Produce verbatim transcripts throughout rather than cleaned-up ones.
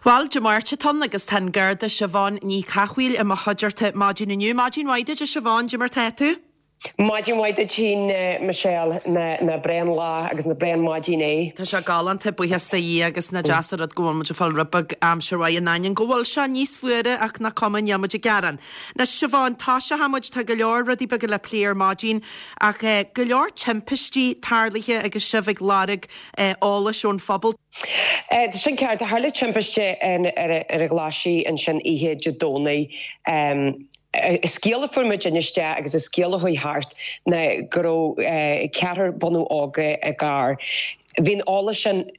Bhuel, Dé Máirt atá ann agus tá an Garda Siobhán Ní Chathmhaoil i mo chuideachta maidin inniu. Maidin mhaith duit, a Siobhán, cad é mar tá tú? Maidin mhaith duit féin, Michelle, nach breá an lá agus nach breá an mhaidin é. Tá sé galánta, buíochas do Dhia agus nach deas an rud go bhfuil muid ag fáil rud beag aimsir mhaith in ainneoin go bhfuil sé níos fuaire ach nach cuma, níl muid ag gearán. Anois Siobhán, toiseoidh muid, tá go leor rudaí beaga le plé ar maidin ach go leor timpistí tarlaithe agus sibh ag lorg eolais ón phobal. Tá sin ceart. Tharla timpiste ar an Ghlaisigh ansin oíche Dé Domhnaigh. Scéal a fuair muid isteach agus an scéal a chuaigh thart ná go raibh ceathrar bunadh óga i gcarr. Bhí an eolas sin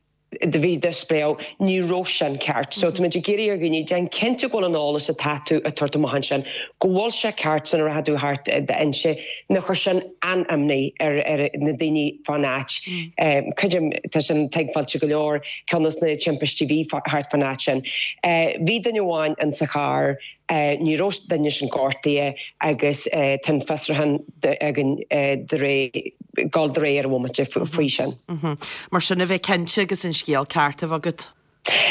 do bhí do spréadh, ní raibh sin ceart. So táimid ag iarraidh ar dhaoine, déan cinnte go bhfuil an eolas atá tú ag tabhairt amach ansin, go bhfuil sé ceart sula rachaidh tú thart d'fhoinse, nó chuir sin an-imní ar ar na daoine fán áit. Creidim, tá sin tuigbheáilte go leor, ceann dos na timpistí a bhí thart fán áit sin. Bhí duine amháin in sa charr, ní raibh duine sin gortaithe agus tá an fiosrúchán againn de réir, dul de réir ar an bhomaite faoi sin. Mar sin a bheith cinnte agus an scéal ceart a bheith agat.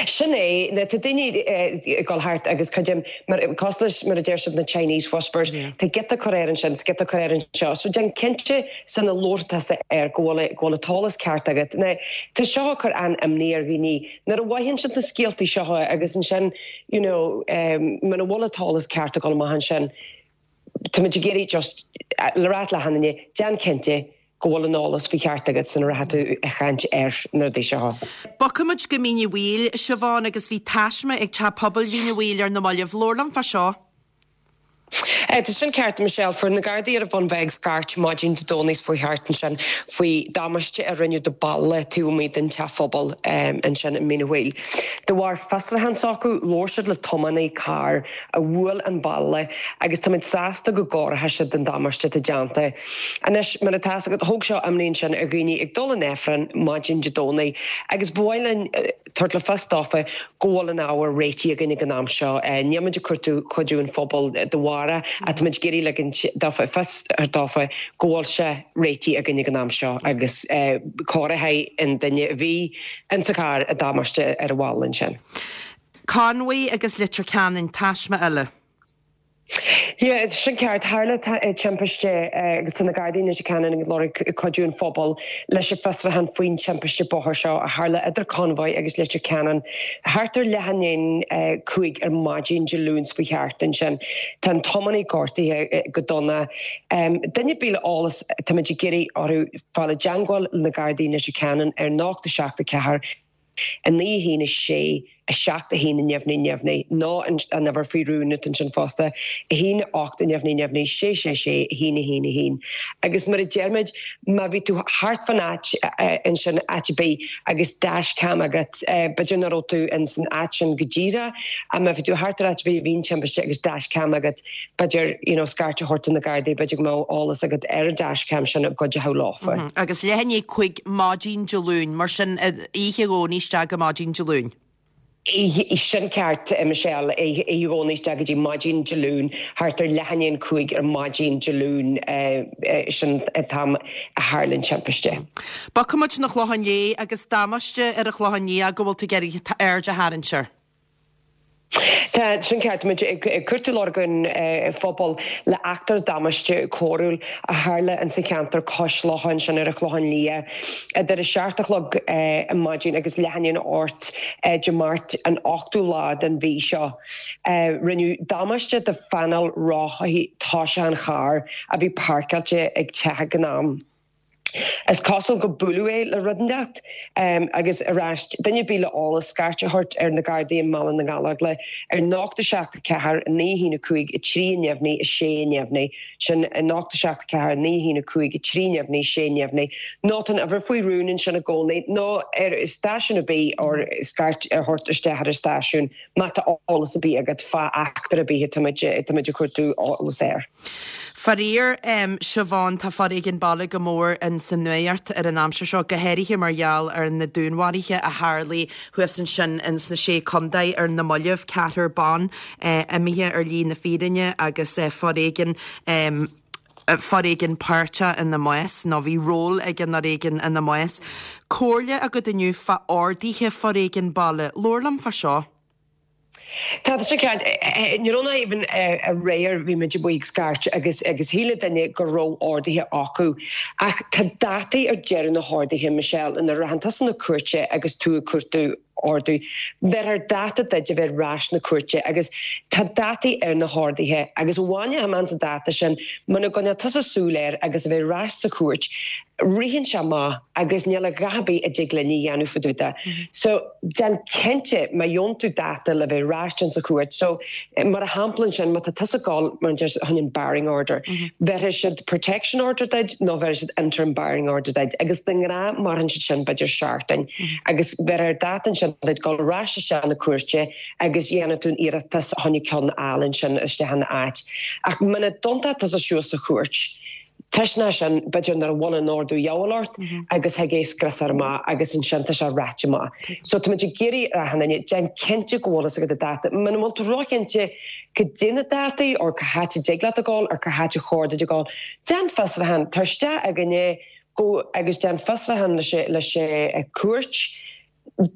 Sin é, tá daoine ag dul thart agus creidim, cosúil leis mar a deir siad na Chinese whispers, tá giota curtha air ansin is giota curtha air anseo, so déan cinnte sula labhróidh tusa air go bhfuil go bhfuil an t-eolas ceart agat. Now, tá seo ag cur an-imní ar dhaoine nuair a bhfaigheann siad na scéaltaí seo agus ansin, you know, muna bhfuil an t-eolas ceart ag dul amach ansin, táimid ag iarraidh just le rá le achan duine, déan cinnte go bhfuil an eolas faoi cheart agat sula rachaidh tú ag caint ar na rudaí seo. Bogfaidh muid go Mín an Mhaoil, Siobhán, agus bhí taisme ag Teach Pobail Mhín an Mhaoil ar na mallaibh. Labhair liom fá seo. Tá sin ceart, Michelle. Fuair na Gardaí ar an Bhun Bheag scairt maidin Dé Domhnaigh faoi thart ansin faoi damáiste a rinneadh do balla taobh amuigh den teach phobail ansin i Mín an Mhaoil. De bharr fiosrúchán s'acu, labhair siad le tiománaí cairr a bhuail an balla agus táimid sásta go gcóireoidh siad an damáiste atá déanta. Anois, mar atá fhios agat, thóg seo imní ansin ar dhaoine ag dul an Aifreann maidin Dé Domhnaigh agus ba mhaith linn tabhairt le fios dófa go bhfuil an ábhar réitithe againn ag an am seo. Níl muid ag cuartú cuidiú an phobail de bharr ach táimid ag iarraidh ligint dófa fios dófa go bhfuil sé réitithe againn ag an am seo agus cóireoidh an duine a bhí insa charr an damáiste ar an bhalla ansin. Conmhaigh agus Leitir Ceanainn, taisme eile. Yeah, sin ceart. Tharla timpiste agus tá na Gardaí i Leitir Ceanainn ag lorg cuidiú an phobail leis an bhfiosrúchán faoin timpiste bóthair seo a tharla idir Conmhaigh agus Leitir Ceanainn thart ar leath i ndiaidh cúig ar maidin Dé Luain faoi thart ansin. Tá an tiománaí gortaithe go dona. Duine ar bith le eolas táimid ag iarraidh orthu fáil i dteangmháil le na Gardaí i Leitir Ceanainn ar ocht a seacht a ceathair a naoi a haon a sé a seacht a haon neamhní neamhní nó an uimhir faoi rún atá ansin fosta a haon ocht neamhní neamhní sé sé sé a haon a haon a haon. Agus mar a deirmid má bhí tú thart fan áit ansin áit ar bith agus dashcam agat b'fhéidir nach raibh tú in san áit sin go díreach ach má bhí tú thart ar áit ar bith a bhí an timpiste agus dashcam agat b'fhéidir you know scairt a thabhairt do na Gardaí b'fhéidir go mbeadh eolas agat ar an dashcam sin a gcuideochadh leofa. Agus leath i ndiaidh cúig maidin Dé Luain, mar sin oíche Dhomhnaigh isteach go maidin Dé Luain. Sin ceart, Michelle, oíche Dhomhnaigh isteach go dtí maidin Dé Luain, thart ar leath i ndiaidh cúig ar maidin Dé Luain, sin an t-am a tharla an timpiste. Bogfaidh muid chun an Chlocháin Léith agus damáiste ar an Chlochán Liath go bhfuil tú ag iarraidh aird a tharraingt air. Tá sin ceart. Táimid ag cuartú lorg an phobail le eachtra damáiste cóiriúil a tharla insa cheantar cois locha ansin ar an Chlochán Liath idir a seacht a chlog ar maidin agus leath i ndiaidh a hocht Dé Máirt an ochtú lá den mhí seo. Rinneadh damáiste do phainéal rothaí tosaigh an chairr a bhí páirceáilte ag teach ag an am. Is cosúil go buaileadh é le rud inteacht agus arís, duine ar bith le eolas, scairt a thabhairt ar na Gardaí i mBaile na nGallóglach ar ocht a seacht a ceathair naoi a haon a cúig a trí neamhní a sé neamhní, sin ocht a seacht a ceathair naoi a haon a cúig a trí neamhní sé neamhní, nó tá an uimhir faoi rún ansin i gcónaí, nó ar stáisiún ar bith or scairt a thabhairt isteach ar an stáisiún. Má tá eolas ar bith agat fá eachtra ar bith atáimid ag cuartú eolas air. Faraor, Siobhán, tá foréigean baile go mór in sa nuacht ar an aimsir seo, go háirithe mar gheall ar na dúnmharuithe a tharlaigh thuas ansin in sna Sé Contae ar na mallaibh, ceathrar ban imithe ar shlí na fírinne agus foréigean foréigean páirteach ina mbás, nó bhí ról ag an fhoréigean ina mbás. Comhairle agat inniu fá orduithe foréigean baile. Labhair liom fá seo. Tá sé ceart ní raibh even aréir bhí muid ag scairt agus agus shíl duine go raibh orduithe acu. Ach tá dátaí ar deireadh na horduithe Michelle nuair a théann tusa na cúirte agus tú ag cuartú ordú. Bheir dáta duit a bheith ar ais na cúirte agus tá dátaí ar na horduithe agus bhaine man sa dáta sin muna gcoinníonn tusa súil air agus a bheith ar ais sa chúirt, ritheann sé amach agus níl a dhath ar bith a dtig linn a dhéanamh fá dtaobh de. So déan cinnte má gheobhann tú dáta le bheith ar ais sa chúirt. So mar a shampla sin má tá tusa ag gabháil mar chun an barring order. Mm -hmm. Bheir siad protection order duit nó bheir siad interim barring order duit agus den ghnáth maireann siad sin b'fhéidir seachtain mm -hmm. agus bheir ar dáta sin duit dul ar ais isteach na cúirte agus dhéanamh tú iarratas chun ceann eile sin isteach ina áit. Ach muna dtéann tusa suas sa chúirt. Tuisna sin b'fhéidir nar bhain an ordú ort mhm. agus thig é scrios amach agus ansin tá sé rite amach. So tá ag géirí hanine déan cinnte go bhfuil agat dáta. Muna bhfuil tú róchinnte cad é na dátaí or cá háit a dtig leat a ghabháil ar cá háit ar chóir duit a ghabháil. Déan fiosrúchán tar isteach againne go agus déan fiosrúchán leis leis cúirt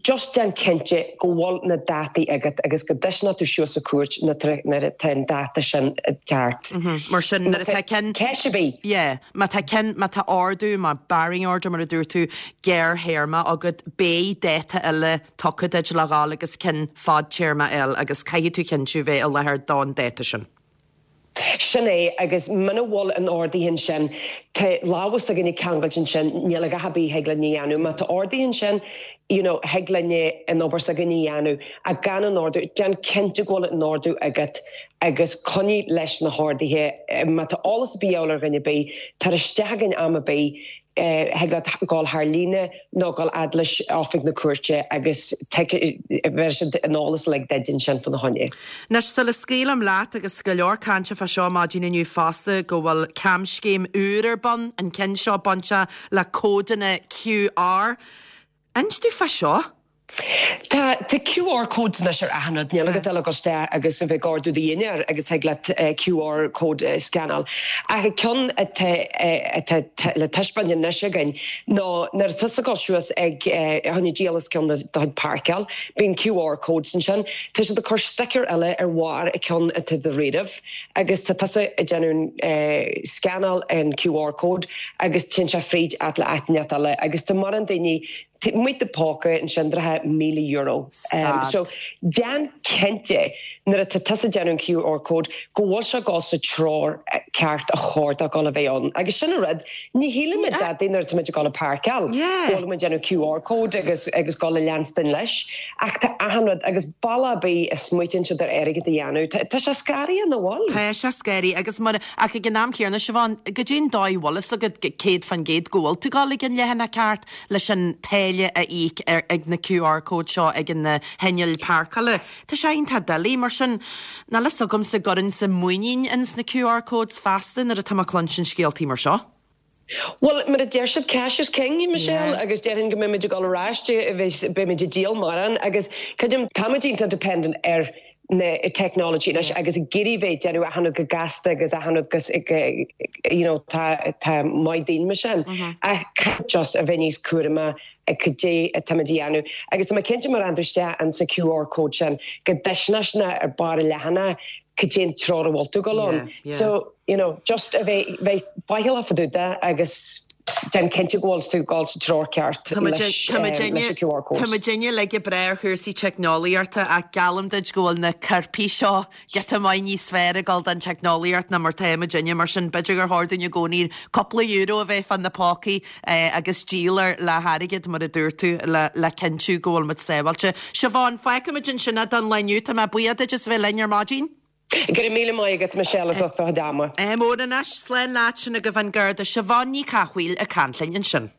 just déan cinnte go bhfuil na dátaí agat agus go dtuisneá tú suas sa cúirt nuair atá an dáta sin ceart. Mhm. Mar sin nuair atá ceann Ceist bí. Yeah, má tá ceann má tá ordú má barring order mar a dúirt tú gearrthéarma agat beidh dáta eile tugtha duit le ghabháil agus ceann fadtéarma eile agus caithfidh tú cinntiú bheith i láthair don dáta sin. Sin é agus muna bhfuil an ordú ansin Tá lámha againne ceangailte ansin níl a dhath ar bith a thig linn a dhéanamh, má tá ordú ansin you know, thig linne an obair s'againne a dhéanamh a gan an ordú déan cinnte go bhfuil an ordú agat agus coinnigh leis na horduithe má tá eolas ar bith ar dhuine bí tar isteach againn am ar bith thig leat gabháil thar líne nó gabháil fhad leis oifig na cúirte agus bheir siad an eolas le duit ansin fána choinne. Anois sula scaoilim leat agus go leor cainte fá seo maidin inniu fosta go bhfuil camscéim úr ar bun an ceann seo bainte le códanna QR. Inis dúinn fá seo? Tá tá QR codes anois ar achan rud níl agat le goste agus a bheith ag ordú dinnéar agus thig leat uh, QR code uh, scannáil. Ach ceann atá le taispeáint anois againn ná nuair atá tú suas ag chun díolas ceann do chuid páirceáil, bíonn QR codes ansin, Tá siad ag cur sticker eile ar bharr a ceann atá do réamh agus tá tusa ag déanamh scannáil an QR code agus téann sé fríd at le aitneat eile agus tá mar an daoine muid de póca ansin drathe míle euro. Um, so déan cinnte nuair atá tusa ag déanamh QR code go bhfuil sé go sa treo ceart a chóir dó a bheith ann. Agus sin rud ní shíleann muid daidí nuair atá muid ag gabháil páirceáil Bhfuil déanamh QR code agus agus go le leanstan leis ach tá achan rud agus balla bí a smuitin se ar airgead a dhéanamh Tá sé scary an bhfuil. Tá sé scary agus mar ach ag an am céanna Siobhán go dtí dóigh bhfuil agat céad faoin gcéad go bhfuil tú ag gabháil ag an leathanach ceart leis an táille a íoc ar ag na QR code seo ag an na hinnill páirceála. Tá sé iontach doiligh mar sin ná le agam sa gorin sa muinín ins na QR codes feasta nuair atá mé ag cluinstin scéaltaí mar seo. Well mar a deir siad cash is king Michelle yeah. agus déarfainn go mbeimid ag dul ar ais beimid ag díol mar agus creidim táimid dependent ar na technology leis agus girí bheith déanú achan go gasta agus achan agus you know tá tá maith daoine me sin mm -hmm. a just a bheith níos cúramaí ag cad é atá á dhéanamh agus tá cinnte mar an an sa QR code sin go deisna ar bar lehanna cad é an treo a bhfuil tú ag dul ann. So you know just a bheith bheith faichilleach fá dtaobh de agus déan cinnte go bhfuil tú ag dul sa treo ceart Tá muidinne le breith ar chúrsaí teicneolaíochta ach geallaim duit go bhfuil na coirpigh seo giota maith níos fearr ag dul don teicneolaíocht ná mar tá muidinne mar sin b'fhéidir gur chóir dúinn i gcónaí cúpla euro a bheith fan na pócaí eh, agus díol le hairgead mar a dúirt tú le, le cinntiú go bhfuil muid sábháilte. Siobhán fágfaimid ansin é don lá inniu tá mé buíoch duit as bheith linn ar maidin? Go raibh míle maith agat Michelle as ucht do chuid ama. Mór anois slán leat sin go bhfan Garda Siobhán Ní Chathmhaoil ag caint linn ansin.